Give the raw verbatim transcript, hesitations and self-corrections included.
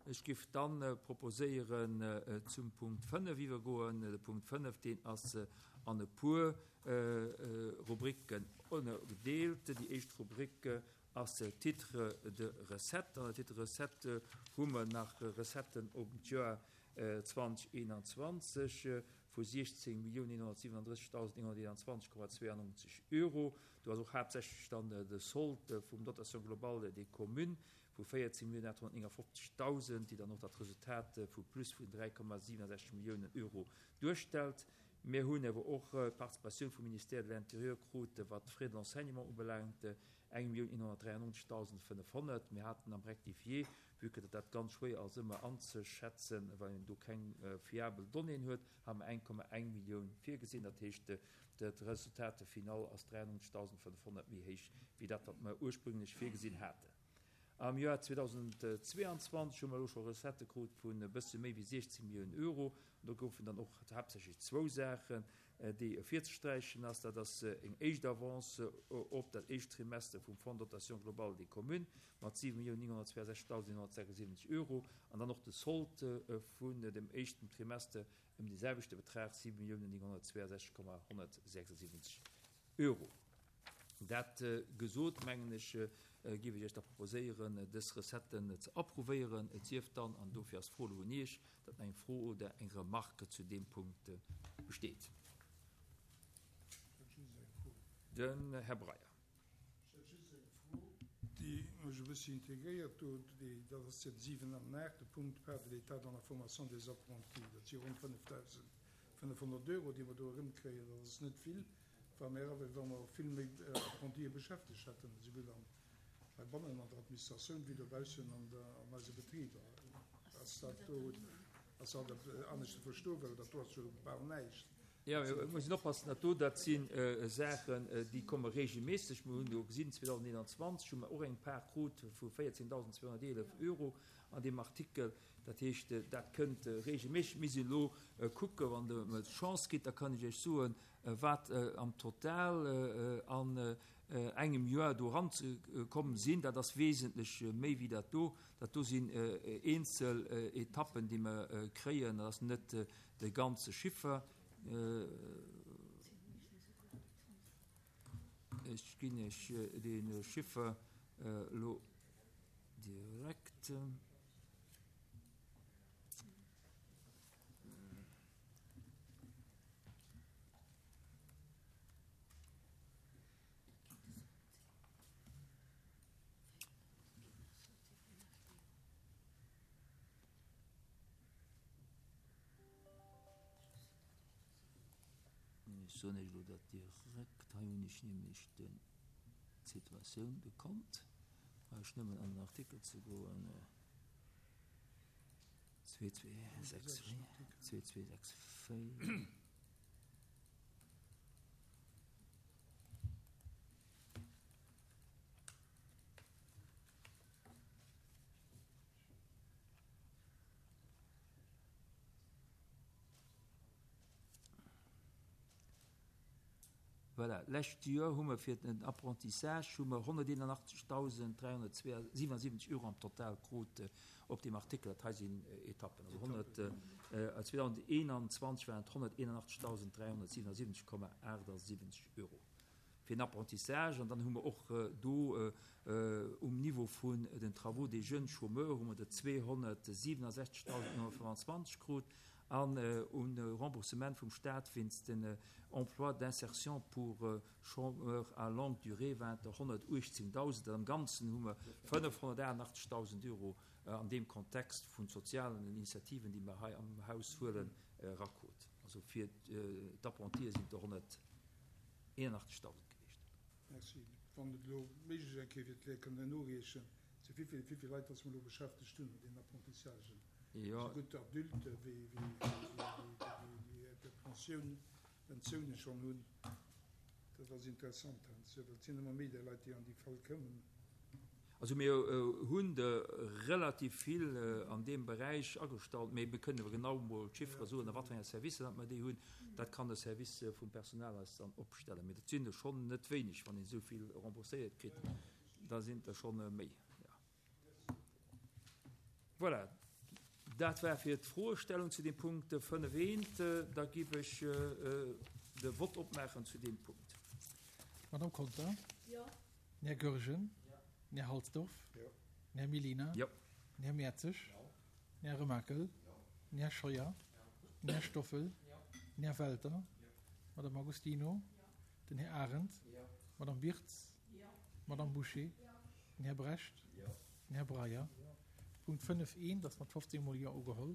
Ech géif dann proposéieren, zum Punkt fënnef iwwergoen. De Punkt fënnef, deen ass an e puer Rubriken ënnergedeelt. Déi éischt Rubrik ass Titre de recettes. An der Titre recettes hu mer nach Recetten op d'Joer zweedausendeenanzwanzeg vu siechzéng Milliounen eenhonnertsiwwenunddrëssigdausend eenhonnerteenanzwanzeg Komma zweiundneunzeg Euro. Do ass och haaptsächlech dann de Solde vum Dotation globale des communes vu véierzéng Milliounen aathonnertnéngafofzegdausend, déi dann och dat Resultat vu plus vun dräi Komma siwenundsechzeg Milliounen Euro duerstellt. Mir hunn awer och d'Participatioun vum Ministère de l'Intérieur krut, wat d'Frais de l'enseignement ubelaangt, eng Millioun eenhonnertdräiundneunzegdausend fënnefhonnert. Mir haten am Rectifié, vue que dat ganz schwéier ass ëmmer anzeschätzen, well een do keng fiabel Donnéeën huet, hu mer eng Komma eng Millioun virgesinn. Dat heescht, dat Resultat final ass dräiundneunzegdausend fënnefhonnert méi héich wéi dat, wat mer ursprünglech virgesinn haten. Am Joer zweetausendzweiundzwanzeg hu mer elo scho Recettë krut vun e bësse méi wéi siechzéng Milliounen Euro. An do goufen dann och haaptsächlech zwou Saachen, déi ervirzesträichen ass. Dat ass eng éischt Avance op dat éischt Trimester vum Fonds de dotation globale des communes mat siwe Milliounen nénghonnertzweiundsechzegdausend eenhonnertsechsundsiwwenzeg Euro an dann och de Solde vun dem éischten Trimester ëm dee selwechte Betrag, siwe Milliounen nénghonnertzweiundsechzeg Komma honnertsechsundsiwwenzeg Euro. Dat gesot, mengen ech, géif ech Iech da proposéieren, dës Recetten ze approuvéieren. Et sief dann, an dofir ass d'Fro elo un Iech, datt nach eng Fro oder eng Remarque zu deem Punkt besteet. Den Här Breyer. Ech hätt just eng Fro, déi mech e bëssi intriguéiert do, dat ass den siwen an den aachte Punkt, Part de l'État dans la formation des apprentis. Dat si ronn fënnefdausendfënnefhonnert Euro, déi mer do erëmkréien. Dat ass net vill. Wa mir awer, wa mer vill méi Apprentie beschäftegt hätten, esouwuel an heibannen an der Administratioun wéi dobaussen an der, an eise Betriber, ass dat do, ass dat anescht ze verstoen, well dat do ass jo bal näischt. Jo, et muss een oppassen, dat do, dat si Saachen, déi komme regelméisseg. Mir hunn do gesinn, zweedausendeenanzwanzeg hu mer och eng Part krut vu véierzéngdausend zweehonnerteelef Euro an deem Artikel. Dat heescht, dat kënnt regelméisseg. Mir sinn elo kucken, wann Der mer d'Chance gitt, da kann ech Iech soen, wat am Total an engem Joer do eranzekomm sinn. Dat ass wesentlech méi wéi dat do. Dat do sinn eenzel Etappen, déi mer kréien. Dat ass net de ganze Chiffer. Ech ginn Iech dee Chiffer elo direkt. Ech soen Iech elo dat direkt. Hei hunn ech nämlech den d'Situatioun, de Kont. Brauch ech nëmmen an den Artikel ze goen. Zwee, zwee, sechs, véier. Zwee, zwee, sechs, véier. Voilà, d'lescht Joer hu mer fir den Apprentissage hu mer honnerteenundzwanzigdausend dräihonnertsiwwenundsiwwenzeg Euro am Total krut op deem Artikel. Dat hei sinn Etappen. Also honnert, zweedausendeenanzwanzeg waren et honnerteenundzwanzigdausend dräihonnertsiwwenundsiwwenzeg Komma achtundsiwwenzeg Euro fir den Apprentissage. An dann hu mer och do um Niveau vun den Travaux des jeunes chômeurs hu mer der zweehonnertsiwwenundsechzigdausend neunhonnertfënfundzwanzeg krut. An un Remboursement vum Staat wéinst den Emplois d'insertion pour chômeurs à longue durée waren et der honnertuechtzéngdausend. Am Ganzen hu mer fënnefhonnertachtundachtzigdausend Euro an deem Kontext vun sozialen Initiativen, déi mer hei am Haus huelen, erakrut. Also fir d'Apprentie sinn et der honnerteenundachtzigdausend gewiescht. Merci. Wann et elo méiglech eng Kéier wier, d'Leit kënnen noriechen, zu wéi vill Leit dass mer elo beschäftegt hunn an deenen Apprentissagen. Jo. Sougutt Adulte wéi déi Pensioun, Pensioune schonn hunn. Dat ass interessant heiansdo, well et sinn ëmmer méi där Leit, déi an déi Fal kommen. Also mir hunn der relativ vill an deem Beräich agestallt, mee mir kënnen awer genau emol d'Chiffere soen, a wat fir enge Servicer datt mer déi hunn. Dat kann de Service vum Personal eis dann opstellen. Mee dat sinn der schonn net wéineg, wann een esou vill rembourséiert kritt, da sinn et der schonn méi. Jo. Voilà, Dat war fir d'Froestellung zu deem Punkt fënnef eent. Da giff ech de Vott opmaachen zu deem Punkt. Madame Conter? Jo. Den Här Goergen? Jo. Den Här Halsdorf? Jo. Den Här Mellina? Jo. Den Här Mertzig? Jo. Den Här Remakel? Jo. Den Här Scheuer? Jo. Den Här Stoffel? Jo. Den Här Welter? Jo. Madame Agostino? Jo. Den Här Arendt? Jo. Madame Birtz? Jo. Madame Boucher? Jo. Den Här Brecht? Jo. Den Här Breyer? Jo. Punkt fënnef eent ass mat fofzéng mol Jo ugeholl.